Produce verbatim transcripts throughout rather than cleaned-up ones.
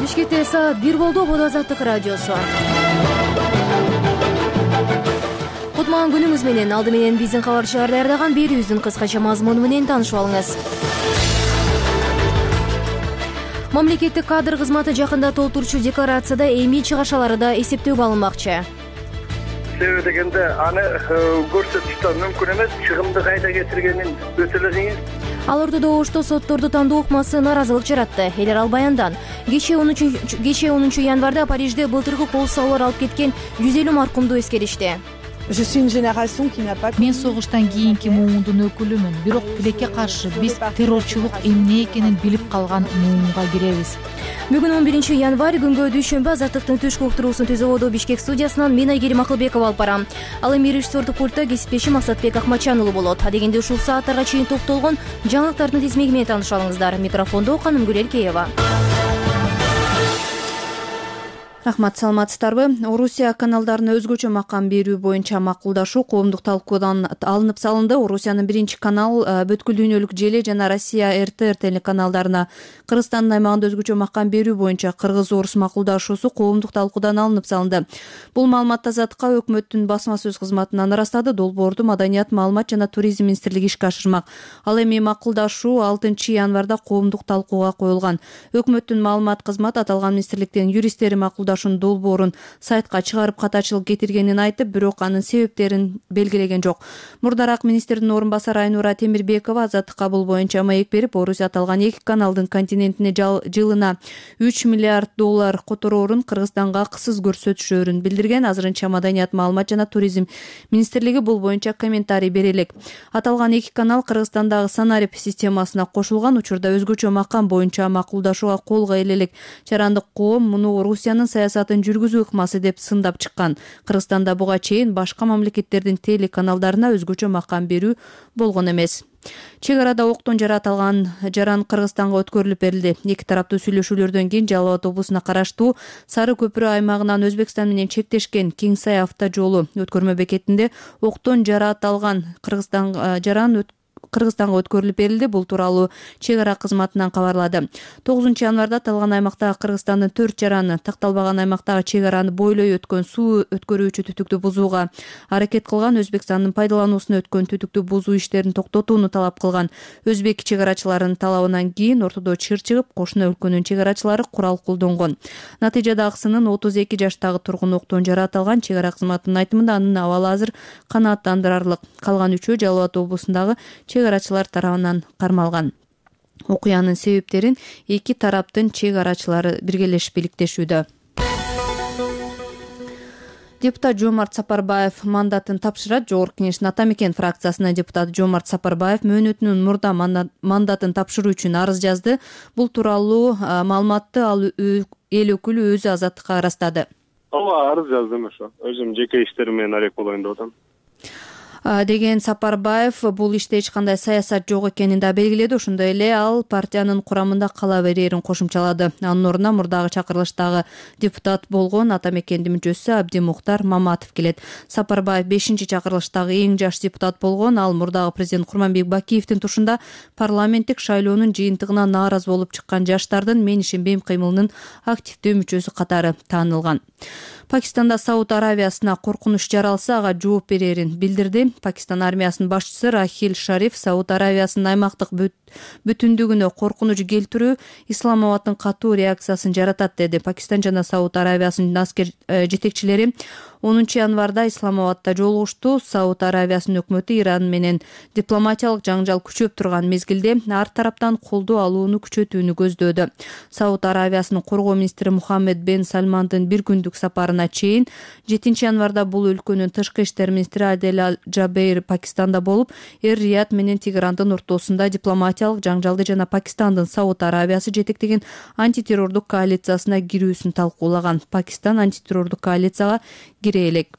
Бишкекте саат бир болду. Бул Азаттык радиосу. Кутман күнүңүз менен. Алды менен биздин кабарчылар даярдаган берүүбүздүн кыскача мазмуну менен таанышып алыңыз. Мамлекеттик кадр кызматы жакында толтурчу декларацияда эми чыгашалары да эсептөөгө алынмакчы. Себеби дегенде аны көрсөтүштө мүмкүн эмес, чыгымды кайда кетиргенин өтө эле кыйын. Ал ортодо Ошто сотторду тандоо ыкмасы наразылык жаратты. Элер ал баяндан кечээ онунчу январда Парижде былтыркы кол салуулар алып кеткен жүз элүү маркумду эскеришти. Мен согуштан кийинки муундун өкүлүмүн, бирок тилекке каршы биз террорчулук эмне экенин билип калган муунга киребиз. Бүгүн он биринчи январь күнгө дүйшөмбү Азаттыктын түшкү уктуруусун түзөбөдө Бишкек студиясынан мен Айгерим Акылбекова алып барам. Ал эми режиссердук пультта кесиптешим Максатбек Акматжан уулу болот. Адегенде ушул сааттарга чейин топтолгон жаңылыктардын тизмеги менен таанышып алыңыздар. Микрофондо Канымгүл Элкеева. Рахмат, саламатсыздарбы? Орусия каналдарына өзгөчө макам берүү боюнча макулдашуу коомдук талкуудан алынып салынды. Орусиянын биринчи канал, Бүткүл дүйнөлүк желе жана Россия эр тэ эр телеканалдарына Кыргызстандын аймагында өзгөчө макам берүү боюнча кыргыз-орус макулдашуусу коомдук талкуудан алынып салынды. Бул маалыматты Азаттыкка өкмөттүн басма сөз кызматынан ырастады. Долбоорду Маданият, маалымат жана туризм министрлиги ишке ашырмак. Ал эми макулдашуу алтынчы январда коомдук талкууга коюлган. Өкмөттүн маалымат кызматы аталган министрликтин юристтери макулдашуу долбоорун сайтка чыгарып катачылык кетиргенин айтып, бирок анын себептерин белгилеген жок. Мурдараак министрдин орун басары Айнура Темирбекова Азаттыкка бул боюнча маек берип, Орусия аталган эки каналдын континентине жылына үч миллиард доллар котороорун Кыргызстанга акысыз көрсөтүшөөрүн билдирген. Азырынча Маданият, маалымат жана туризм министрлиги бул боюнча комментарий бере элек. Аталган эки канал Кыргызстандагы Санарип системасына кошулган учурда өзгөчө макам боюнча макулдашууга колго элек. Жарандык коом муну Орусиянын саясатын жүргүзүү ыкмасы деп сындап чыккан. Кыргызстанда буга чейин башка мамлекеттердин телеканалдарына өзгөчө макам берүү болгон эмес. Чек арада октон жаратылган жаран Кыргызстанга өткөрүлүп берилди. Эки тараптуу сүйлөшүүлөрдөн кийин Жалал Абад облусуна караштуу Сары көпүрө аймагынан Өзбекстан менен чектешкен Кеңсай автожолу өткөрмө бекетинде октон жаратылган Кыргызстан жаран Кыргызстанга өткөрүлүп берилди. Бул тууралуу чек ара кызматынан кабарлады. тогузунчу январда аталган аймактагы Кыргызстандын төрт жараны такталбаган аймактагы чек араны бойлой өткөн суу өткөрүүчү түтүктү бузууга аракет кылган. Өзбекстандын пайдалануусуна өткөн түтүктү бузуу иштерин токтотууну талап кылган. Өзбек чек арачыларынын талабынан кийин ортодо чыр чыгып, кошуна өлкөнүн чек арачылары курал колдонгон. Натыйжада акысынын отуз эки жаштагы тургун октон жаратылган. Чек ара кызматынын айтымында анын абалы азыр канааттандырарлык. Калган үчөө Жалал Абад облусундагы чек арачылар тарабынан кармалган. Окуянын себептерин эки тараптын чек арачылары биргелешип иликтешүүдө. Депутат Жомарт Сапарбаев мандатын тапшырат. Жогорку Кеңештин Ата Мекен фракциясынын депутаты Жомарт Сапарбаев мөөнөтүнүн мурда мандатын тапшыруу үчүн арыз жазды. Бул тууралуу маалыматты ал эл өкүлү өзү Азаттыкка ырастады. Ооба, арыз жаздым ошо. Өзүм жеке иштерим менен арек болоюн деп атам. деген Сапарбаев бул иште эч кандай саясат жок экенин да белгиледи. Ошондой эле ал партиянын курамында кала берерин кошумчалады. Анын ордуна мурдагы чакырылыштагы депутат болгон Ата Мекендин мүчөсү Абдимухтар Маматов келет. Сапарбаев бешинчи чакырылыштагы эң жаш депутат болгон. Ал мурдагы президент Курманбек Бакиевдин тушунда парламенттик шайлоонун жыйынтыгына нааразы болуп чыккан жаштардын Мен ишенбейм кыймылынын активдүү мүчөсү катары таанылган. Пакистанда Сауд Аравиясына коркунуч жаралса ага жооп берерин билдирди. Пакистан армиясынын башчысы Рахил Шариф Сауд Аравиясынын аймактык бүтүндүгүнө коркунуч келтирүү Исламабадтын катуу реакциясын жаратат деди. Пакистан жана Сауд Аравиясынын аскер жетекчилери онунчу январда Исламабадта жолугушту. Сауд Аравиясынын өкмөтү Иран менен дипломатиялык жаңжал күчөп турган мезгилде ар тараптан колдоо алууну күчөтүүнү көздөөдү. Сауд Аравиясынын коргоо министри Мухаммед бен Сальмандын бир күндүк сапарына чейин жетинчи январда бул өлкөнүн тышкы иштер министри Адель Аль-Джабейр Пакистанда болуп, Эр-Рияд менен Тегерандын ортосунда дипломатиялык жаңжалды жана Пакистандын Сауд Аравиясы жетектеген антитеррордук коалициясына кирүүсүн талкуулаган. Пакистан антитеррордук коалицияга кире элек.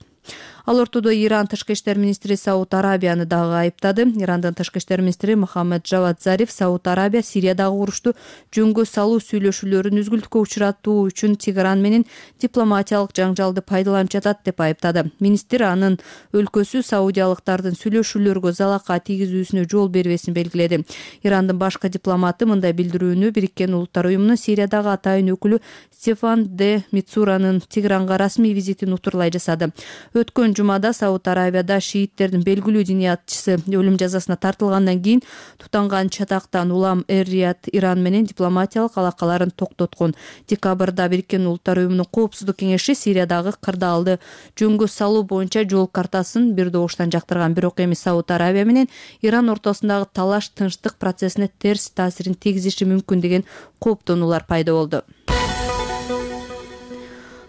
Ал ортодо Иран тышкы иштер министри Сауд Арабияны дагы айыптады. Ирандын тышкы иштер министри Мохаммед Джавад Зариф Сауд Арабия Сириядагы урушту жөнгө салуу сүйлөшүүлөрүн үзгүлтүккө учуратуу үчүн Тегеран менен дипломатиялык жаңжалды пайдаланып жатат деп айыптады. Министр анын өлкөсү саудиялыктардын сүйлөшүүлөргө залака тийгизүүсүнө жол бербесин белгиледи. Ирандын башкы дипломаты мындай билдирүүнү Бириккен Улуттар уюмунун Сириядагы атайын өкүлү Стефан де Мицуранын Тегеранга расмий визитин утурлай жасады. Өткөн жумада Сауд Арабияда шииттердин белгилүү диниятчысы өлүм жазасына тартылгандан кийин тутанган чатактан улам Эр-Рияд Иран менен дипломатиялык алакаларын токтоткон. Декабрда Бириккен Улуттар уюмунун коопсуздук кеңеши Сириядагы кырдаалды жөнгө салуу боюнча жол картасын бир добуштан жактырган. Бирок эми Сауд Арабия менен Иран ортосундагы талаш тынчтык процессине терс таасирин тийгизиши мүмкүн деген кооптонуулар пайда болду.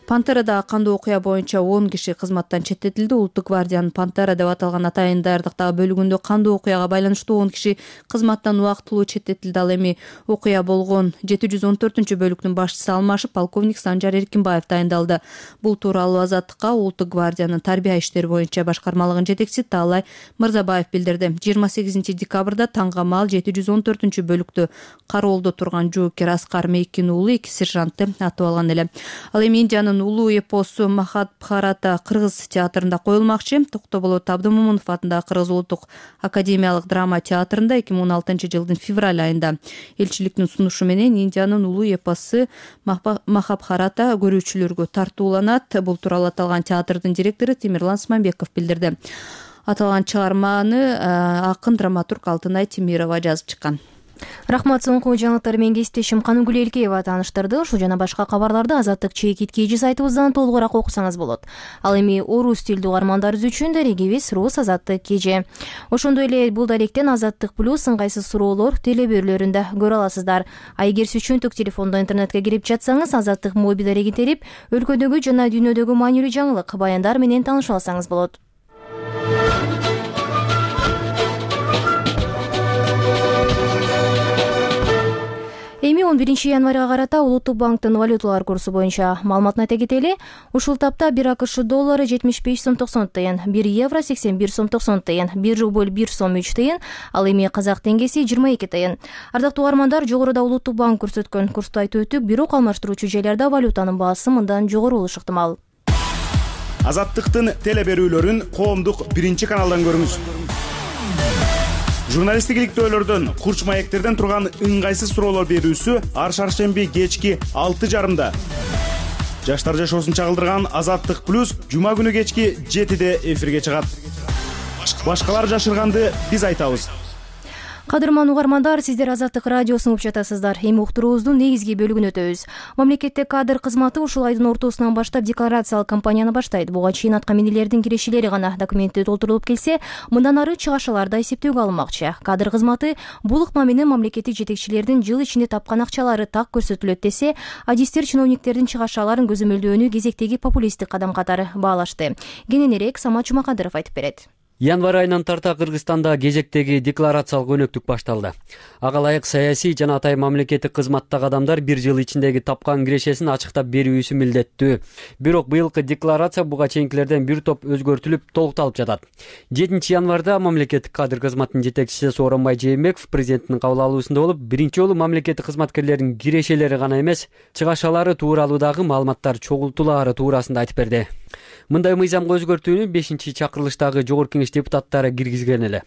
Пантерада кандуу окуя боюнча он киши кызматтан четтетилди. Улуттук гвардиянын Пантера деп аталган атайын даярдыктагы бөлүгүндө кандуу окуяга байланыштуу он киши кызматтан убактылуу четтетилди. Ал эми окуя болгон жети жүз он төртүнчү бөлүктүн башчысы алмашып, полковник Санжар Эркинбаев дайындалды. Бул тууралуу Азаттыкка Улуттук гвардиянын тарбия иштери боюнча башкармалыгынын жетекчиси Таалай Мырзабаев билдирди. жыйырма сегизинчи декабрда таңга маал жети жүз он төртүнчү бөлүктү кароолдо турган жоокер Аскар Мейкин уулу эки сержантты атып алган эле. Ал эми Индиянын улуу эпосу Махабхарата кыргыз театрында коюлмакчы. Токтоболот Абдымомунов атындагы Кыргыз улуттук академиялык драма театрында эки миң он алтынчы жылдын февраль айында элчиликтин сунушу менен Индиянын улуу эпосу Махабхарата көрүүчүлөргө тартууланат. Бул тууралуу аталган театрдын директору Темирлан Смамбеков билдирди. Аталган чыгарманы акын драматург Алтынай Темирова жазып чыккан. Рахмат, соңку жаңылыктар менен кесиптешим Каныгүл Элкеева тааныштырды. Ушул жана башка кабарларды Азаттык чекит кийжи сайтыбыздан толугураак окусаңыз болот. Ал эми орус тилдүү угармандарыбыз үчүн дарегибиз Рус Азаттык кийжи. Ошондой эле бул даректен Азаттык плюс ыңгайсыз суроолор телебөрлөрүндө көрө аласыздар. А эгер сүйчүнтүк телефондо интернетке кирип жатсаңыз, Азаттык мобил дарегин терип, өлкөдөгү жана дүйнөдөгү маанилүү жаңылык, баяндар менен таанышып алсаңыз болот. Эми он биринчи январга карата Улуттук банктын валюталар курсу боюнча маалыматын айта кетели. Ушул тапта бир АКШ доллары жетимиш беш сом токсон тыйын, бир евро сексен бир сом токсон тыйын, бир рубль бир сом үч тыйын, ал эми казак теңгеси жыйырма эки тыйын. Ардактуу угармандар, жогоруда Улуттук банк көрсөткөн курсту айтып өттүк, бирок алмаштыруучу жайларда валютанын баасы мындан жогору болушу ыктымал. Азаттыктын телеберүүлөрүн коомдук биринчи каналдан көрүңүз. Журналисттик иликтөөлөрдөн, курч маектерден турган ыңгайсыз суроолор берүүсү ар шаршемби кечки алты жарымда. Жаштар жашоосун чагылдырган Азаттык плюс жума күнү кечки жетиде эфирге чыгат. Башкалар жашырганды биз айтабыз. Кадырман угармандар, сиздер Азаттык радиосун угуп жатасыздар. Эми уктуруубуздун негизги бөлүгүн өтөбүз. Мамлекеттик кадр кызматы ушул айдын ортосунан баштап декларациялык кампанияны баштайт. Буга чейин аткаминерлердин кирешелери гана документте толтурулуп келсе, мындан ары чыгашалар да эсептөөгө алынмакчы. Кадр кызматы бул ыкма менен мамлекеттик жетекчилердин жыл ичинде тапкан акчалары так көрсөтүлөт десе, адистер чиновниктердин чыгашаларын көзөмөлдөөнү кезектеги популисттик кадам катары баалашты. Кененирээк Самат Жумакадыров айтып берет. Январь айынан тарта Кыргызстанда кезектеги декларациялык өнөктүк башталды. Ага ылайык саясий жана атайын мамлекеттик кызматтагы адамдар бир жыл ичиндеги тапкан кирешесин ачыктап берүүсү милдеттүү. Бирок быйылкы декларация буга чейинкилерден бир топ өзгөртүлүп, толукталып жатат. жетинчи январда мамлекеттик кадр кызматынын жетекчиси Сооронбай Жээнбеков президенттин кабыл алуусунда болуп, биринчи жолу мамлекеттик кызматкерлердин кирешелери гана эмес, чыгашалары тууралуу дагы маалыматтар чогултулаары туурасында айтып берди. Мындай мыйзамга өзгөртүүнү бешинчи чакырылыштагы жогорку кеңеш депутаттары киргизген эле.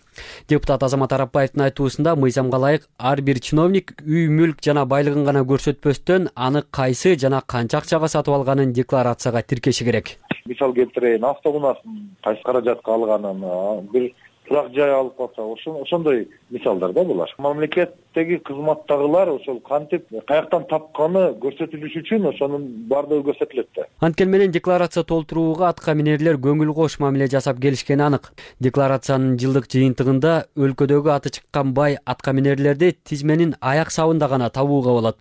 Депутат Азамат Арапбаевдин айтуусунда мыйзамга ылайык ар бир чиновник үй мүлк жана байлыгын гана көрсөтпөстөн аны кайсы жана канча акчага сатып алганын декларацияга тиркеши керек. Мисал келтирейин, автоунаасын кайсы каражатка алганын, бир турак жай алып калса, ошондой мисалдар да булар. Мамлекеттеги кызматтагылар ошол кантип каяктан тапканы көрсөтүлүш үчүн ошонун баардыгы көрсөтүлөт да. Анткени менен декларация толтурууга аткаминерлер көңүл кош мамиле жасап келишкени анык. Декларациянын жылдык жыйынтыгында өлкөдөгү аты чыккан бай аткаминерлерди тизменин аяк сабында гана табууга болот.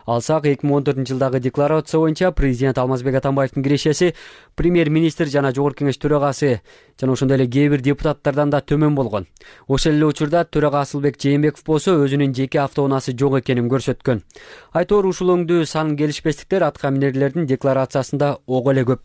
Алсак эки миң он төртүнчү жылдагы декларация боюнча президент Алмазбек Атамбаевдин кирешеси премьер-министр жана жогорку кеңеш төрагасы жана ошондой эле кээ бир депутаттардан да төмөн болгон. Ошол эле учурда төрага Асылбек Жээнбеков болсо өзүнүн жеке автоунаасы жок экенин көрсөткөн. Айтор ушул өңдүү сан келишпестиктер аткаминерлердин декларациясында ого эле көп.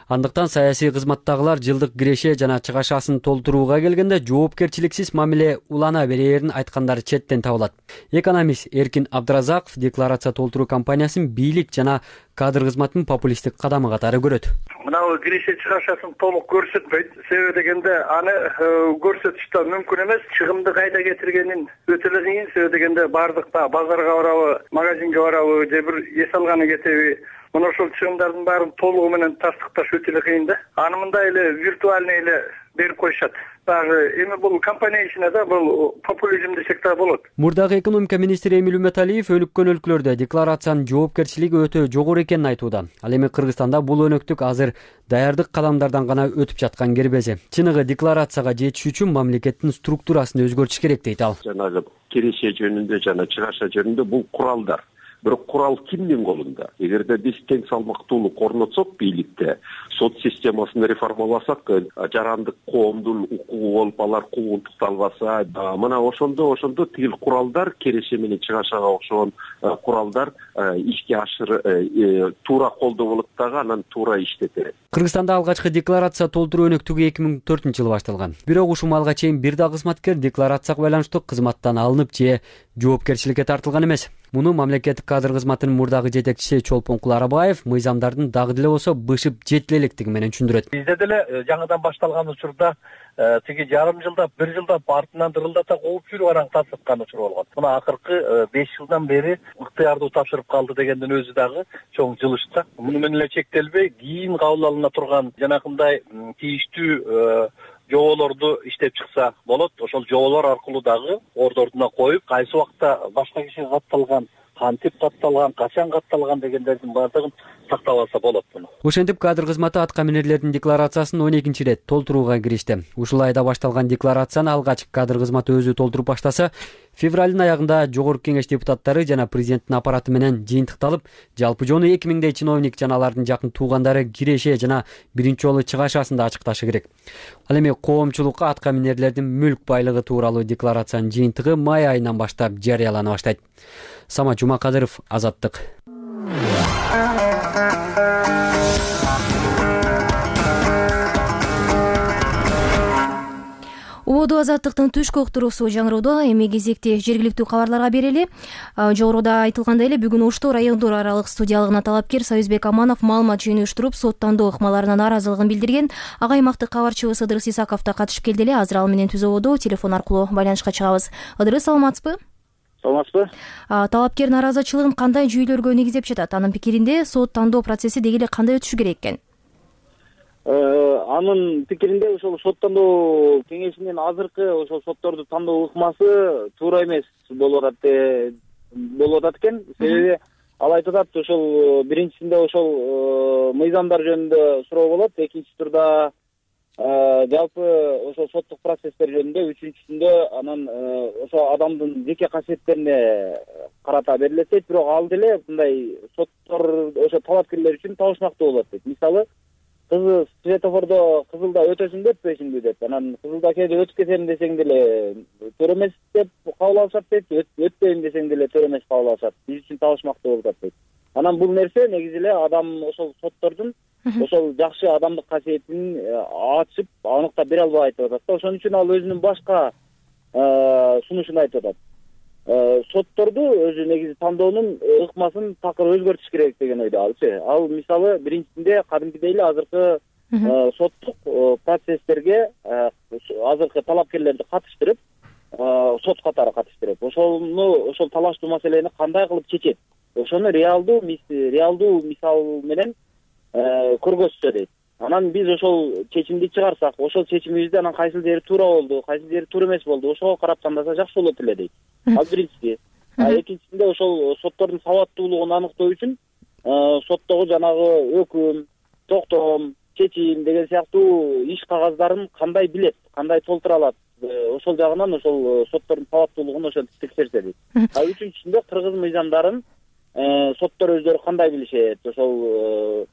Андыктан саясий кызматтагылар жылдык киреше жана чыгашасын толтурууга келгенде жоопкерчиликсиз мамиле улана берээрин айткандары четтен табылат. Экономист Эркин Абдыразаков декларация толтуруу кампаниясын бийлик жана кадр кызматынын популисттик кадамы катары көрөт. Мынау киреше чыгашасын толук көрсөтпөйт. Себеби дегенде аны көрсөтүш да мүмкүн эмес. Чыгымды кайда кетиргенин өтө эле кыйын. Себеби дегенде бардык да базарга барабы, магазинге барабы, же бир эс алганы кетеби. Мына ошол чыгымдардын баарын толугу менен тастыкташ өтө эле кыйын да. Аны мындай эле виртуальный эле берип коюшат. Дагы эми бул компания ишине да бул популизм десек да болот. Мурдагы экономика министри Эмиль Үмөталиев өнүккөн өлкөлөрдө декларациянын жоопкерчилиги өтө жогору экенин айтууда. Ал эми Кыргызстанда бул өнөктүк азыр даярдык кадамдардан гана өтүп жаткан кербези. Чыныгы декларацияга жетиш үчүн мамлекеттин структурасын өзгөртүш керек дейт ал. Жанагы киреше жөнүндө жана чыгаша жөнүндө бул куралдар. Бирок курал кимдин колунда? Эгерде биз тең салмактуулук орнотсок бийликте, сот системасын реформаласак, жарандык коомдун укугу болуп алар куугунтукталбаса, мына ошондо ошондо тигил куралдар киреше менен чыгашага окшогон куралдар ишке ашыр туура колдонулуп дагы анан туура иштетет. Кыргызстанда алгачкы декларация толтуруу өнөктүгү эки миң төртүнчү жылы башталган. Бирок ушул малга чейин бир да кызматкер декларацияга байланыштуу кызматтан алынып же жоопкерчиликке тартылган эмес. Муну мамлекеттик кадр кызматынын мурдагы жетекчиси Чолпонкул Арабаев мыйзамдардын дагы деле болсо бышып жетиле электиги менен түшүндүрөт. Бизде деле жаңыдан башталган учурда тиги жарым жылда, бир жылда артынан дырылдата кууп жүрүп анан тапшырткан учур болгон. Мына акыркы беш жылдан бери ыктыярдуу тапшырып калды дегендин өзү дагы чоң жылыш да. Муну менен эле чектелбей, кийин кабыл алына турган жанакындай тийиштүү жоболорду иштеп чыкса болот. Ошол жоболор аркылуу дагы ордордуна коюп, кайсы убакта башка кишиге катталган, кантип катталган, качан катталган дегендердин баардыгын сактап алса болот муну. Ошентип кадр кызматы аткаминерлердин декларациясын он экинчи ирет толтурууга киришти. Ушул айда башталган декларацияны алгач кадр кызматы өзү толтуруп баштаса, февралдын аягында Жогорку Кеңеш депутаттары жана президенттин аппараты менен жыйынтыкталып, жалпы жону эки миңдей чиновник жана алардын жакын туугандары киреше жана биринчи жолу чыгашасында ачыкташы керек. Ал эми коомчулукка аткаминерлердин мүлк байлыгы тууралуу декларациянын жыйынтыгы май айынан баштап жарыялана баштайт. Самат Жумакадыров, Азаттык. Ободу Азаттыктын түшкү уктуруусу жаңыроодо. Эми кезекти жергиликтүү кабарларга берели. Жогоруда айтылгандай эле бүгүн Ошту райондор аралык судьялыгына талапкер Союзбек Аманов маалымат жыйынтыштырып, сот тандоо ыкмаларына нааразылыгын билдирген. Ага аймактык кабарчыбыз Ыдырыс Исаков да катышып келди эле. Азыр ал менен түз ободо телефон аркылуу байланышка чыгабыз. Ыдырыс, саламатсызбы? Саламатсызбы? Талапкер нааразычылыгын кандай жүйөлөргө негиздеп жатат? Анын пикиринде сот тандоо процесси деги эле кандай өтүшү керек экен? Анын пикиринде ошол сот тандоо кеңешинин азыркы ошол сотторду тандоо ыкмасы туура эмес болуп атат болуп атат экен. Себеби ал айтып атат, ошол биринчисинде ошол мыйзамдар жөнүндө суроо болот, экинчи турда жалпы ошол соттук процесстер жөнүндө, үчүнчүсүндө анан ошо адамдын жеке касиеттерине карата берилет. Бирок ал деле мындай соттор ошо талапкерлер үчүн табышмактуу болот дейт. Мисалы, кызы светофордо кызылда өтөсүң деп өтпөйсүңбү деп, анан кызылда кээде өтүп кетем десең деле туура эмес деп кабыл алышат дейт, өтпөйм десең деле туура эмес кабыл алышат. Биз үчүн табышмактуу болуп атат дейт. Анан бул нерсе негизи эле адам ошол соттордун ошол жакшы адамдык касиетин ачып, аныктап бере албай айтып атат да. Ошон үчүн ал өзүнүн башка сунушун айтып атат. Сотторду өзү негизи тандоонун ыкмасын такыр өзгөртүш керек деген ойдо алчы. Ал мисалы биринчисинде кадимкидей эле азыркы соттук процесстерге азыркы талапкерлерди катыштырып, сот катары катыштырып, ошону ошол талаштуу маселени кандай кылып чечет, ошону реалдуу реалдуу мисал менен көргөзсө дейт. Анан биз ошол чечимди чыгарсак, ошол чечимибизде анан кайсыл жери туура болду, кайсыл жери туура эмес болду, ошого карап тандаса жакшы болот эле дейт. Ал биринчиси. А экинчисинде ошол соттордун сабаттуулугун аныктоо үчүн соттогу жанагы өкүм, токтом, чечим деген сыяктуу иш кагаздарын кандай билет, кандай толтура алат, ошол жагынан ошол соттордун сабаттуулугун ошентип текшерсе дейт. А үчүнчүсүндө кыргыз мыйзамдарын соттор өздөрү кандай билишет, ошол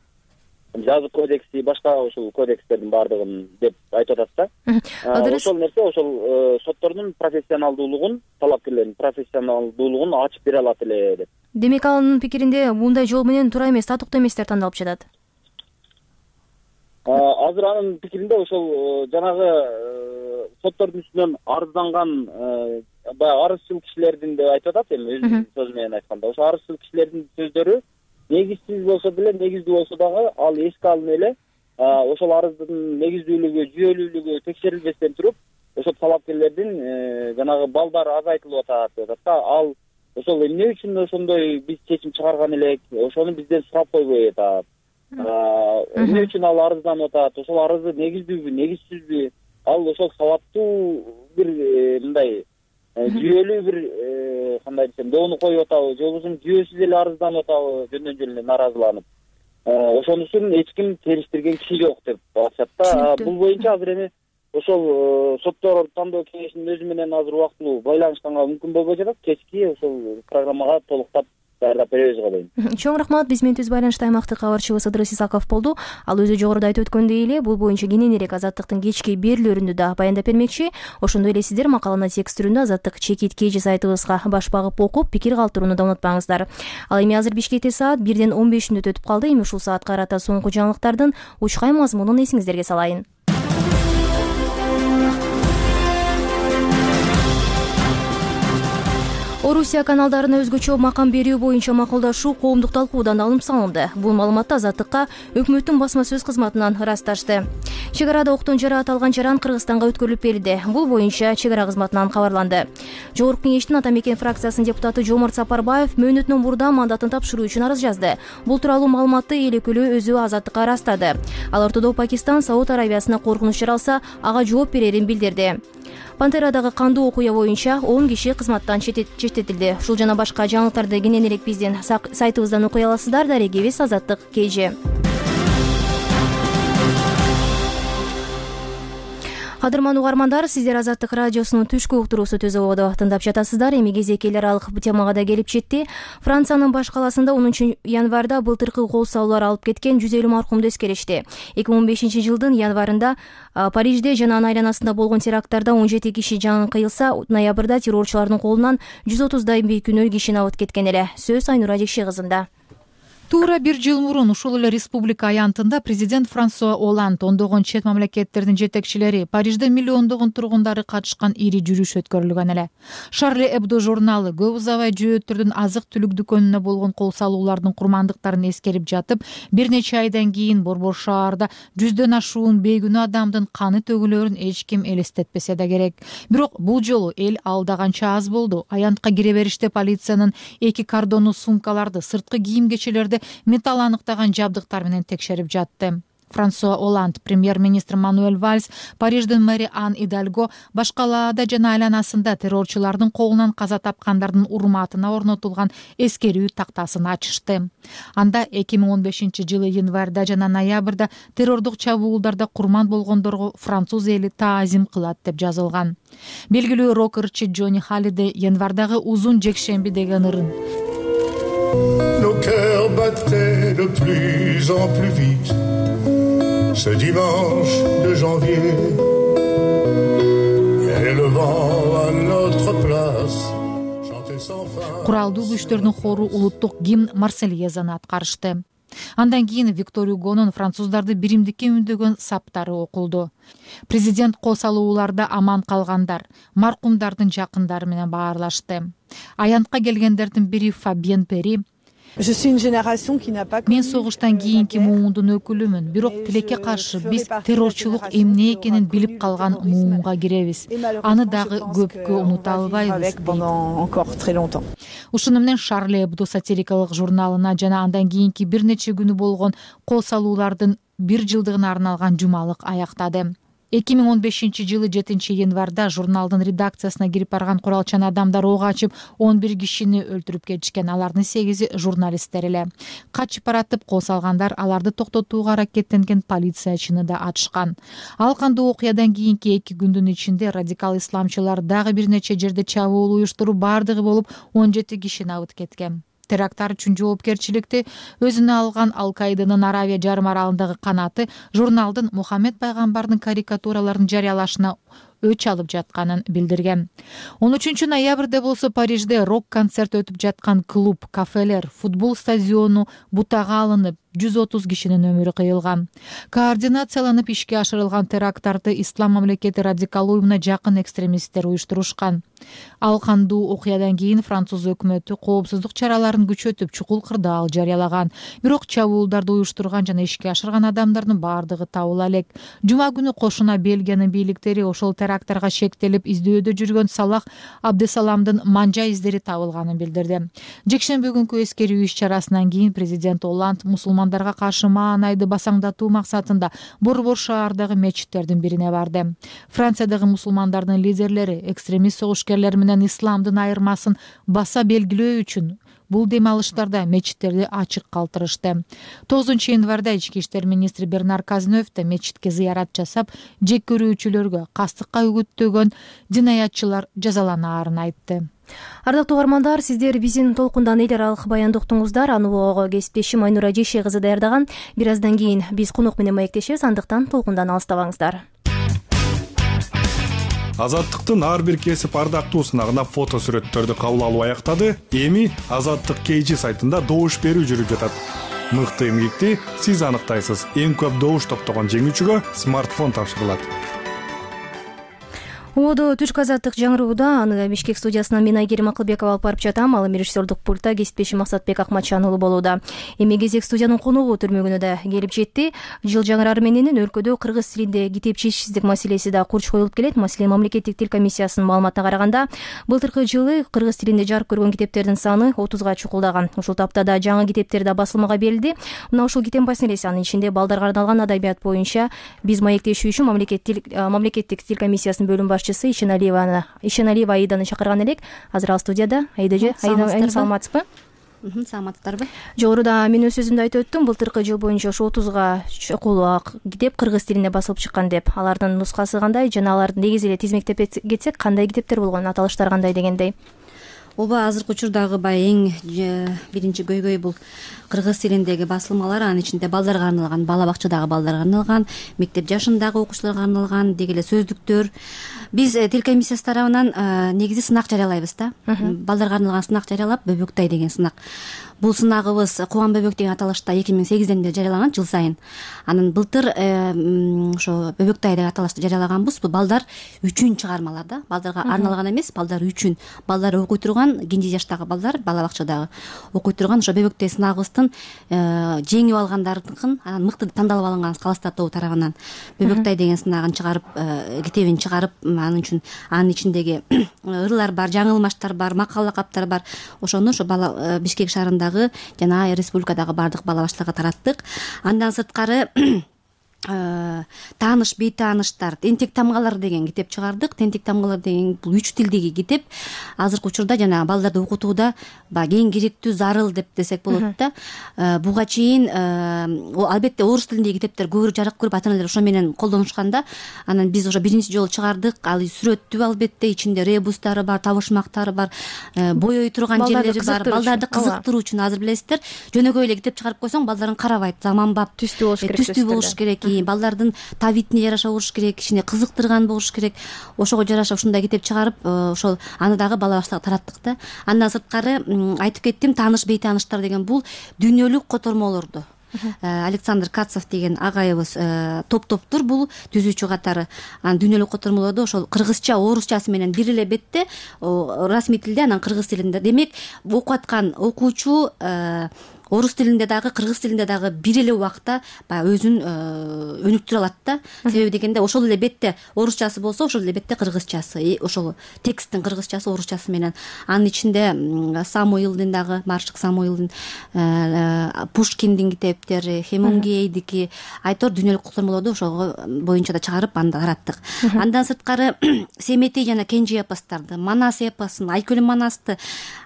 жазык кодекси, башка ошол кодекстердин баардыгын деп айтып атат да. Ошол нерсе ошол соттордун профессионалдуулугун, талапкерлердин профессионалдуулугун ачып бере алат эле деп. Демек анын пикиринде мындай жол менен туура эмес, татыктуу эместер тандалып жатат. азыр анын пикиринде ошол жанагы соттордун үстүнөн арызданган баягы арызчыл кишилердин деп айтып атат, эми өзүнүн сөзү менен айтканда ошо арызчыл кишилердин сөздөрү негизсиз болсо деле, негиздүү болсо дагы ал эске алынып эле ошол арыздын негиздүүлүгү, жүйөлүүлүгү текшерилбестен туруп ошол талапкерлердин жанагы балдары азайтылып атат деп атат да. Ал ошол эмне үчүн ошондой биз чечим чыгарган элек, ошону бизден сурап койбой атат. Эмне үчүн ал арызданып атат, ошол арызы негиздүүбү, негизсизби, ал ошол сабаттуу бир мындай жүйөлүү бир кандай десем доону коюп атабы, же болбосо жүйөсүз эле арызданып атабы, жөндөн жөн эле нааразыланып. Ошонусун эч ким териштирген киши жок деп атышат да. Бул боюнча азыр эми ошол соттор тандоо кеңешинин өзү менен азыр убактылуу байланышканга мүмкүн болбой жатат. Кечки ошол программага толуктап даярдап беребизго дейм. Чоң рахмат. Биз менен түз байланышта аймактык кабарчыбыз Ыдырыс Исаков болду. Ал өзү жогоруда айтып өткөндөй эле бул боюнча кененирээк Азаттыктын кечки берүүлөрүндө да баяндап бермекчи. Ошондой эле сиздер макаланы текст түрүндө Азаттык чекит кж сайтыбызга баш багып окуп, пикир калтырууну да унутпаңыздар. Ал эми азыр Бишкекте саат бирден он беш мүнөт өтүп калды. Эми ушул саатка карата соңку жаңылыктардын учкай мазмунун эсиңиздерге салайын. Орусия каналдарына өзгөчө макам берүү боюнча макулдашуу коомдук талкуудан алынып салынды. Бул маалыматты Азаттыкка өкмөттүн басма сөз кызматынан ырасташты. Чек арада октон жарааталган жаран Кыргызстанга өткөрүлүп берилди. Бул боюнча чек ара кызматынан кабарланды. Жогорку кеңештин Ата Мекен фракциясынын депутаты Жомарт Сапарбаев мөөнөтүнөн мурда мандатын тапшыруу үчүн арыз жазды. Бул тууралуу маалыматты эл өкүлү өзү Азаттыкка ырастады. Ал ортодо Пакистан Сауд Арабиясына коркунуч жаралса, ага жооп берерин билдирди. Пантерадагы кандуу окуя боюнча он киши кызматтан четтетилди. Ушул жана башка жаңылыктарды кененирээк биздин сайтыбыздан окуй аласыздар. Дарегибиз Азаттык кж. Кадырман угармандар, сиздер Азаттык радиосунун түшкү уктуруусу Түз ободо тыңдап жатасыздар. Эми кезек эл аралык темага да келип жетти. Франциянын баш каласында онунчу январда былтыркы кол салуулар алып кеткен жүз элүү маркумду эскеришти. эки миң он бешинчи жылдын январында Парижде жана анын айланасында болгон теракттарда он жети киши жанын кыйылса, ноябрда террорчулардын колунан жүз отуздай бейкүнөө киши абыт кеткен эле. Сөз Айнура Жекше кызында. Туура бир жыл мурун ушул эле республика аянтында президент Франсуа Оланд ондогон чет мамлекеттердин жетекчилери, Парижде миллиондогон тургундары катышкан ири жүрүш өткөрүлгөн эле. Шарли Эбдо журналы көп узабай жөөттөрдүн азык-түлүк дүкөнүнө болгон кол салуулардын курмандыктарын эскерип жатып, бир нече айдан кийин Борбор шаарда жүздөн ашуун бейкүнөө адамдын каны төгүлөрүн эч ким элестетпесе да керек. Бирок бул жолу эл алдаганча аз болду. Аянтка кире бериште полициянын эки кордону сумкаларды, сырткы кийим-кечелерди металл аныктаган жабдыктар менен текшерип жатты. Франсуа Оланд, премьер-министр Мануэль Вальс, Париждин мэри Ан Идальго башкалаада жана айланасында террорчулардын колунан каза тапкандардын урматына орнотулган эскерүү тактасын ачышты. Анда эки миң он бешинчи жылы январда жана ноябрда террордук чабуулдарда курман болгондорго француз эли таазим кылат деп жазылган. Белгилүү рокерчи Джонни Халлидей январдагы узун жекшемби деген ырын. Nos cœurs battaient de plus en plus vite ce dimanche de janvier et le vent à notre place chantait sans fin. Куралдуу күчтөрдүн хору улуттук гимн Марсельезаны аткарышты. Андан кийин Виктор Югонун француздарды биримдикке үндөгөн саптары окулду. Президент кол салууларда аман калгандар, маркумдардын жакындары менен баарлашты. Аянтка келгендердин бири Фабиен Пери: Мен согуштан кийинки муундун өкүлүмүн, бирок тилекке каршы биз террорчулук эмне экенин билип калган муунга киребиз. Аны дагы көпкө унута албайбыз. Ушуну менен Шарли Эбдо сатирикалык журналына жана андан кийинки бир нече күнү болгон кол салуулардын бир жылдыгына арналган жумалык аяктады. эки миң он бешинчи жылы жетинчи январда журналдын редакциясына кирип барган куралчан адамдар ок ачып он бир кишини өлтүрүп кетишкен. Алардын сегизи журналисттер эле. Качып баратып кол салгандар аларды токтотууга аракеттенген полициячыны да атышкан. Ал кандуу окуядан кийинки эки күндүн ичинде радикал исламчылар дагы бир нече жерде чабуул уюштуруп, бардыгы болуп он жети кишини абыт кеткен. Теракттар үчүн жоопкерчиликти өзүнө алган Ал-Каиданын Аравия жарым аралындагы канаты журналдын Мухаммед пайгамбардын карикатураларын жарыялашына өч алып жатканын билдирген. он үчүнчү ноябрда болсо Парижде рок-концерт өтүп жаткан клуб, кафелер, футбол стадиону бутага алынып, жүз отуз кишинин өмүрү кыйылган. Координацияланып ишке ашырылган теракттарды Ислам мамлекети радикал уюмуна жакын экстремисттер уюштурушкан. Ал кандуу окуядан кийин француз өкмөтү коопсуздук чараларын күчөтүп, чукул кырдаал жарыялаган. Бирок чабуулдарды уюштурган жана ишке ашырган адамдардын баардыгы табыла элек. Жума күнү кошуна Бельгиянын бийликтери ошол теракттарга шектелип издөөдө жүргөн Салах Абдесаламдын манжа издери табылганын билдирди. Жекшемби күнкү эскерүү иш-чарасынан кийин президент Оланд мусулмандарга каршы маанайды басаңдатуу максатында Борбор шаардагы мечиттердин бирине барды. Франциядагы мусулмандардын лидерлери экстремист согушкерлер менен исламдын айырмасын баса белгилөө үчүн бул дем алыштарда мечиттерди ачык калтырышты. тогузунчу январда ички иштер министри Бернар Казнев да мечитке зыярат жасап, жек көрүүчүлөргө кастыкка үгүттөгөн динаятчылар жазаланаарын айтты. Ардактуу угармандар, сиздер биздин толкундан эл аралык баянды уктуңуздар. Аны кесиптешим Айнура Жеше кызы даярдаган. Бир аздан кийин биз конок менен маектешебиз, андыктан толкундан алыстабаңыздар. Азаттыктын ар бир кесип ардактуусуна фото сүрөттөрдү кабыл алуу аяктады. Эми Азаттык кей жи сайтында добуш берүү жүрүп жатат. Мыкты эмгекти сиз аныктайсыз. Эң көп добуш топтогон жеңүүчүгө смартфон тапшырылат. Оодо түшкү азаттык жаңырууда, аны Бишкек студиясынан мен Айгерим Акылбекова алып барып жатам. Ал режиссердук пультта кесиптешим Максатбек Акматжан уулу болууда. Эми кезек студиянын коногу түрмөгүнө да келип жетти. Жыл жаңырары менен өлкөдө кыргыз тилинде китепчисиздик маселеси да курч коюлуп келет. Маселен, мамлекеттик тил комиссиясынын маалыматына караганда, былтыркы жылы кыргыз тилинде жарык көргөн китептердин саны отузга чукулдаган. Ушул таптада жаңы китептер да басылмага берилди. Мына ушул китеп маселеси, анын ичинде балдарга арналган адабият боюнча биз маектешүү үчүн мамлекеттик тил комиссиясынын бөлүм башчысы Ишеналиева Ишеналиева Аиданы чакырган элек. Азыр ал студияда. Айдажы, Айда, саламатсызбы? Саламатсыздарбы? Жогоруда мен өз сөзүмдө айтып өттүм. Былтыркы жыл боюнча ошо отузга чукул китеп кыргыз тилинде басылып чыккан деп. Алардын нускасы кандай жана аларды негизи эле тизмектеп кетсек, кандай китептер болгон, аталыштар кандай дегендей? Ооба, азыркы учурдагы баягы эң биринчи көйгөй бул кыргыз тилиндеги басылмалар. Анын ичинде балдарга арналган, бала бакчадагы балдарга арналган, мектеп жашындагы окуучуларга арналган деги эле сөздүктөр. Биз тил комиссиясы тарабынан негизи сынак жарыялайбыз да. Балдарга арналган сынак жарыялап, Бөбөктай деген сынак. Бул сынагыбыз Кубан Бөбөк деген аталышта эки миң сегизден бери жарыялаган, жыл сайын. Анын былтыр ошо Бөбөктай деген аталышты жарыялаганбыз. Бул балдар үчүн чыгармалар да. Балдарга арналган эмес, балдар үчүн. Балдар окуй турган, кенже жаштагы балдар, бала бакчадагы окуй турган ошо Бөбөктай сынагыбыздын жеңип алгандардыкын, анан мыкты тандалып алынган калыстар тобу тарабынан Бөбөктай деген сынагын чыгарып, китебин чыгарып, анын үчүн анын ичиндеги ырлар бар, жаңылмаштар бар, макал лакаптар бар. Ошону ошо бала Бишкек шаарында жана республикадагы бардык бала бакчаларга тараттык. Андан сырткары тааныш бейтааныштар, тентек тамгалар деген китеп чыгардык. Тентек тамгалар деген бул үч тилдеги китеп. Азыркы учурда жана балдарды окутууда баягы эң керектүү, зарыл деп десек болот да. Буга чейин албетте орус тилиндеги китептер көбүрөөк жарык көрүп, ата-аналар ошо менен колдонушкан да. Анан биз ошо биринчи жолу чыгардык. Ал сүрөттүү, албетте ичинде ребустары бар, табышмактары бар, боёй турган жерлери бар. Балдарды кызыктыруу үчүн, азыр билесиздер, жөнөкөй эле китеп чыгарып койсоң балдарың карабайт. Заманбап, түстүү болуш керек. Түстүү болуш керек. Балдардын табитине жараша болуш керек, кичине кызыктырган болуш керек. Ошого жараша ушундай китеп чыгарып, ошол аны дагы бала бакчаларга тараттык да. Андан сырткары айтып кеттим, тааныш бейтааныштар деген бул дүйнөлүк котормолорду Александр Кацов деген агайыбыз топ-топтур бул түзүүчү катары. Анан дүйнөлүк котормолорду ошол кыргызча, орусчасы менен бир эле бетте, расмий тилде, анан кыргыз тилинде. Демек, окуп аткан окуучу орус тилинде дагы, кыргыз тилинде дагы бир эле убакта баягы өзүн өнүктүрө алат да. Себеби дегенде ошол эле бетте орусчасы болсо, ошол эле бетте кыргызчасы, ошол тексттин кыргызчасы, орусчасы менен. Анын ичинде Самуилдин дагы, Маршак Самуилдин, Пушкиндин китептери, Хемингуэйдики, айтор дүйнөлүк котормолорду ошого боюнча да чыгарып, аны да тараттык. Андан сырткары Семетей жана Кенже эпостарды, Манас эпосун, Айкөлүн Манасты,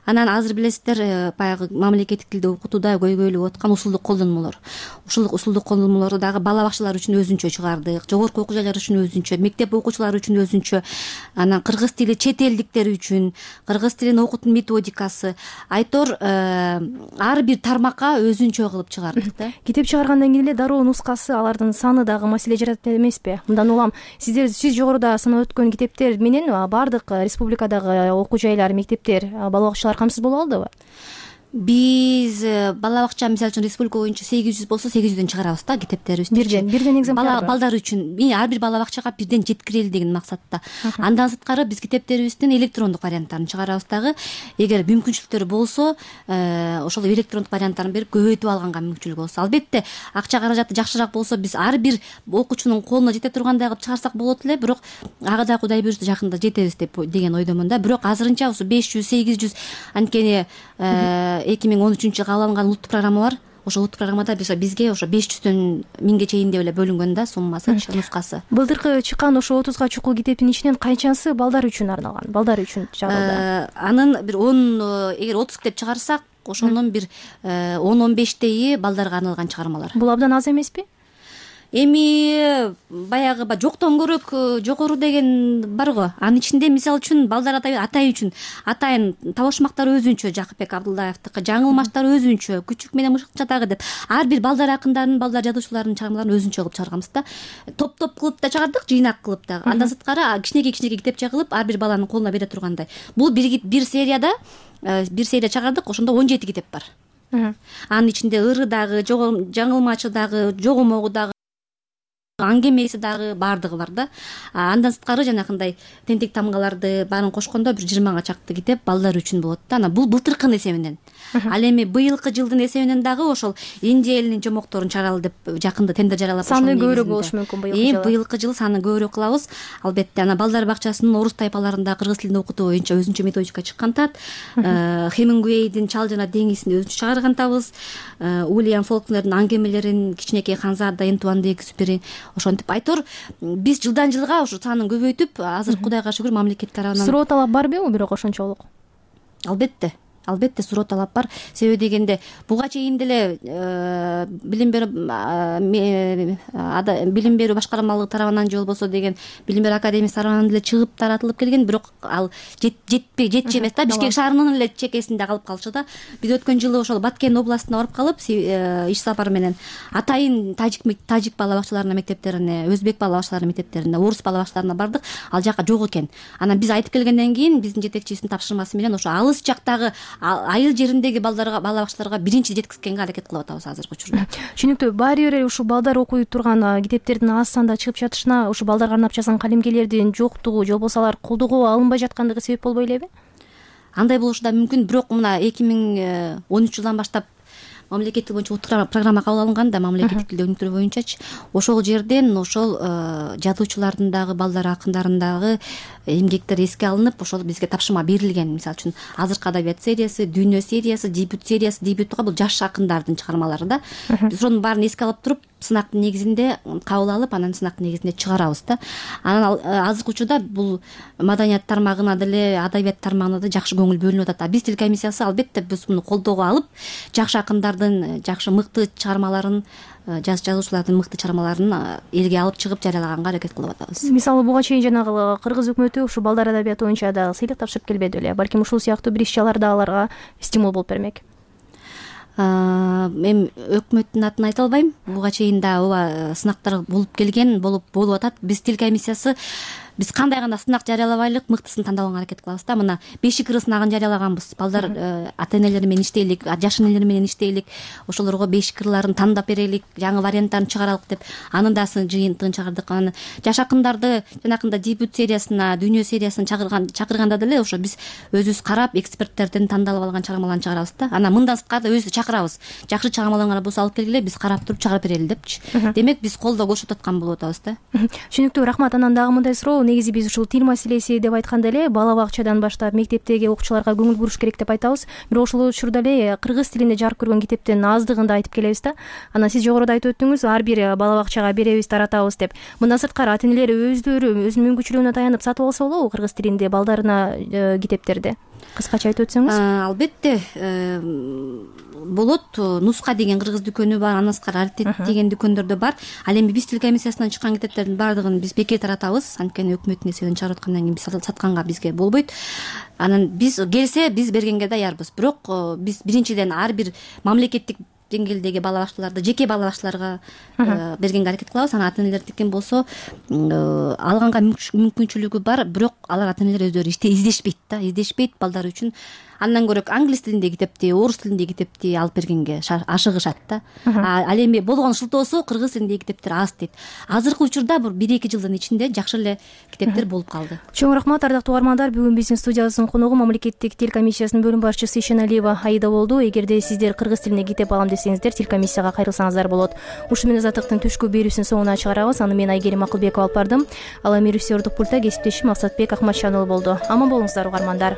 анан азыр билесиздер, баягы мамлекеттик тилде окутууда көйгөйлүп аткан усулдук колдонмолор. Ушул усулдук колдонмолорду дагы бала бакчалар үчүн өзүнчө чыгардык, жогорку окуу жайлар үчүн өзүнчө, мектеп окуучулары үчүн өзүнчө, анан кыргыз тили чет элдиктер үчүн, кыргыз тилин окутуу методикасы, айтор ар бир тармакка өзүнчө кылып чыгардык да. Китеп чыгаргандан кийин эле дароо нускасы, алардын саны дагы маселе жаратат эмеспи? Мындан улам сиздер сиз жогоруда санап өткөн китептер менен бардык республикадагы окуу жайлар, мектептер, бала бакчалар камсыз боло алдыбы? Биз бала бакча мисалы үчүн республика боюнча сегиз жүз болсо сегиз жүздөн чыгарабыз да китептерибизди. Бирден бирден экземпляр балдар үчүн ар бир бала бакчага бирден жеткирели деген максатта. Андан сырткары биз китептерибиздин электрондук варианттарын чыгарабыз дагы. Эгер мүмкүнчүлүктөр болсо, ошол электрондук варианттарын берип көбөйтүп алганга мүмкүнчүлүк болсо, албетте акча каражаты жакшыраак болсо биз ар бир окуучунун колуна жете тургандай кылып чыгарсак болот эле, бирок ага да Кудай буюрса жакында жетебиз деп деген ойдомун да. Бирок азырынча ошо беш жүз сегиз жүз анткени эки миң он үчүнчү жылы кабыл алынган улуттук программа бар. Ошо улуттук программада бизге ошо беш жүздөн миңге чейин деп эле бөлүнгөн да суммасы, нускасы. Былтыркы чыккан ошо отузга чукул китептин ичинен канчасы балдар үчүн арналган, балдар үчүн чыгарылды? Анын бир он, эгер отуз китеп чыгарсак, ошонун бир он он бештейи балдарга арналган чыгармалар. Бул абдан аз эмеспи? Эми баягы жоктон көрөк жогору деген бар го. Анын ичинде мисалы үчүн балдар атай үчүн атайын табышмактар өзүнчө, Жакыпбек Абдулдаевдики, жаңылмаштар өзүнчө, Күчүк менен Мышыкча дагы деп ар бир балдар акындарын, балдар жазуучуларынын чыгармаларын өзүнчө кылып чыгарганбыз да. Топ-топ кылып да чыгардык, жыйнак кылып дагы. Андан сырткары кичинекей-кичинекей китепче кылып ар бир баланын колуна бере тургандай. Бул бир бир серияда бир серия чыгардык, ошондо он жети китеп бар. Анын ичинде ыры дагы, жаңылмачы дагы, жогомогу дагы, аңгемеси дагы баардыгы бар да. Андан сырткары жанакындай тентек тамгаларды баарын кошкондо бир жыйырмага чакты китеп балдар үчүн болот да. Анан бул былтыркынын эсебинен. Ал эми быйылкы жылдын эсебинен дагы ошол Индия элинин жомокторун чыгаралы деп жакында тендер жарыялап саны көбүрөөк болушу мүмкүн быйылкы жылы. Быйылкы жылы саны көбүрөөк кылабыз. Албетте анан балдар бакчасынын орус тайпаларында кыргыз тилинде окутуу боюнча өзүнчө методика чыккан тат. Хемингуэйдин Чал жана деңизин өзүнчө чыгаргантабыз. Уильям Фолкнердин аңгемелерин, кичинекей Ханзада, Энтуан де Экзюпери, ошентип айтор биз жылдан жылга ошо санын көбөйтүп, азыр Кудайга шүгүр мамлекет тарабынан. Суроо талап барбы бирок ошончолук? Албетте. Албетте суроо талап бар. Себеби дегенде буга чейин деле билим берүү билим берүү башкармалыгы тарабынан же болбосо деген билим берүү академиясы тарабынан деле чыгып таратылып келген, бирок ал жетпей жетчү эмес да. Бишкек шаарынын эле чекесинде калып калчу да. Биз өткөн жылы ошол Баткен областына барып калып, иш сапар менен атайын тажик тажик бала бакчаларына, мектептерине, өзбек бала бакчаларынын мектептерине, орус бала бакчаларына бардык. Ал жака жок экен. Анан биз айтып келгенден кийин биздин жетекчибиздин тапшырмасы менен ошо алыс жактагы айыл жериндеги балдарга, бала бакчаларга биринчи жеткизгенге аракет кылып атабыз азыркы учурда. Түшүнүктүү. Баары бир ушул балдар окуй турган китептердин аз санда чыгып жатышына ушул балдарга арнап жазган калемгерлердин жоктугу же болбосо алар колдоого алынбай жаткандыгы себеп болбой элеби? Андай болушу да мүмкүн, бирок мына эки миң он үч жылдан баштап мамлекеттик боюнча улуттук программа кабыл алынган да, мамлекеттик тилде өнүктүрүү боюнчачы. Ошол жерден ошол жазуучулардын дагы, балдар акындардын дагы эмгектери эске алынып, ошол бизге тапшырма берилген. Мисалы үчүн азыркы адабият сериясы, дүйнө сериясы, дебют сериясы, дебюттуга бул жаш акындардын чыгармалары да. Биз ошонун баарын эске алып туруп, сынактын негизинде кабыл алып, анан сынактын негизинде чыгарабыз да. Анан азыркы учурда бул маданият тармагына деле, адабият тармагына да жакшы көңүл бөлүнүп атат. Биз тил комиссиясы албетте биз муну колдоого алып, жакшы акындардын жакшы мыкты чыгармаларын, жаш жазуучулардын мыкты чыгармаларын элге алып чыгып жарыялаганга аракет кылып атабыз. Мисалы буга чейин жанагы кыргыз өкмөтү ушу балдар адабияты боюнча дагы сыйлык тапшырып келбеди беле? Балким ушул сыяктуу бир иш-чаралар да аларга стимул болуп бермек. Мен өкмөттүн атын айта албайм. Буга чейин да ооба сынактар болуп келген, болуп болуп атат. Биз тил комиссиясы биз кандай гана сынак жарыялабайлык, мыктысын тандабаганга аракет кылабыз да. Мына бешик ыры сынагын жарыялаганбыз. Балдар ата энелери менен иштейлик, жаш энелер менен иштейлик, ошолорго бешик ырларын тандап берелик, жаңы варианттарын чыгаралык деп анын да жыйынтыгын чыгардык. Анан жаш акындарды жанакындай дебют сериясына, дүйнө сериясына чакырган чакырганда деле ошо биз өзүбүз карап, эксперттерден тандалып алган чыгармаларды чыгарабыз да. Анан мындан сырткары да өзүбүз чакырабыз. Жакшы чыгармаларыңар болсо алып келгиле, биз карап туруп чыгарып берели депчи. Демек биз колдоо көрсөтүп аткан болуп атабыз да. Түшүнүктүү, рахмат. Анан дагы мындай суроо, негизи биз ушул тил маселеси деп айтканда эле бала бакчадан баштап мектептеги окуучуларга көңүл буруш керек деп айтабыз. Бирок ошол учурда эле кыргыз тилинде жарык көргөн китептин аздыгын да айтып келебиз да. Анан сиз жогоруда айтып өттүңүз, ар бир бала бакчага беребиз, таратабыз деп. Мындан сырткары ата энелер өздөрү өзүнүн мүмкүнчүлүгүнө таянып сатып алса болобу кыргыз тилинде балдарына китептерди? Кыскача айтып өтсөңүз. Албетте болот. Нуска деген кыргыз дүкөнү бар, андан сырткары аритет деген дүкөндөр да бар. Ал эми биз тил комиссиясынан чыккан китептердин баардыгын биз бекер таратабыз. Анткени өкмөттүн эсебинен чыгарып аткандан кийин биз сатканга бизге болбойт. Анан биз келсе биз бергенге даярбыз. Бирок биз биринчиден ар бир мамлекеттик деңгээлдеги бала бакчаларды жеке бала бакчаларга бергенге аракет кылабыз. Анан ата энелердикин болсо алганга мүмкүнчүлүгү бар, бирок алар ата энелер өздөрү издешпейт да, издешпейт балдар үчүн. андан көрө англис тилиндеги китепти, орус тилиндеги китепти алып бергенге ашыгышат да. Ал эми болгон шылтоосу кыргыз тилиндеги китептер аз дейт. Азыркы учурда бир эки жылдын ичинде жакшы эле китептер болуп калды. Чоң рахмат, ардактуу угармандар. Бүгүн биздин студиябыздын коногу мамлекеттик тил комиссиясынын бөлүм башчысы Ишеналиева Аида болду. Эгерде сиздер кыргыз тилине китеп алам десеңиздер, тил комиссияга кайрылсаңыздар болот. Ушу менен Азаттыктын түшкү берүүсүн соңуна чыгарабыз. Аны мен Айгерим Акылбекова алып бардым. Ал эми режиссердук пультта кесиптешим Максатбек Акматжанұлы болду. Аман болуңуздар угармандар.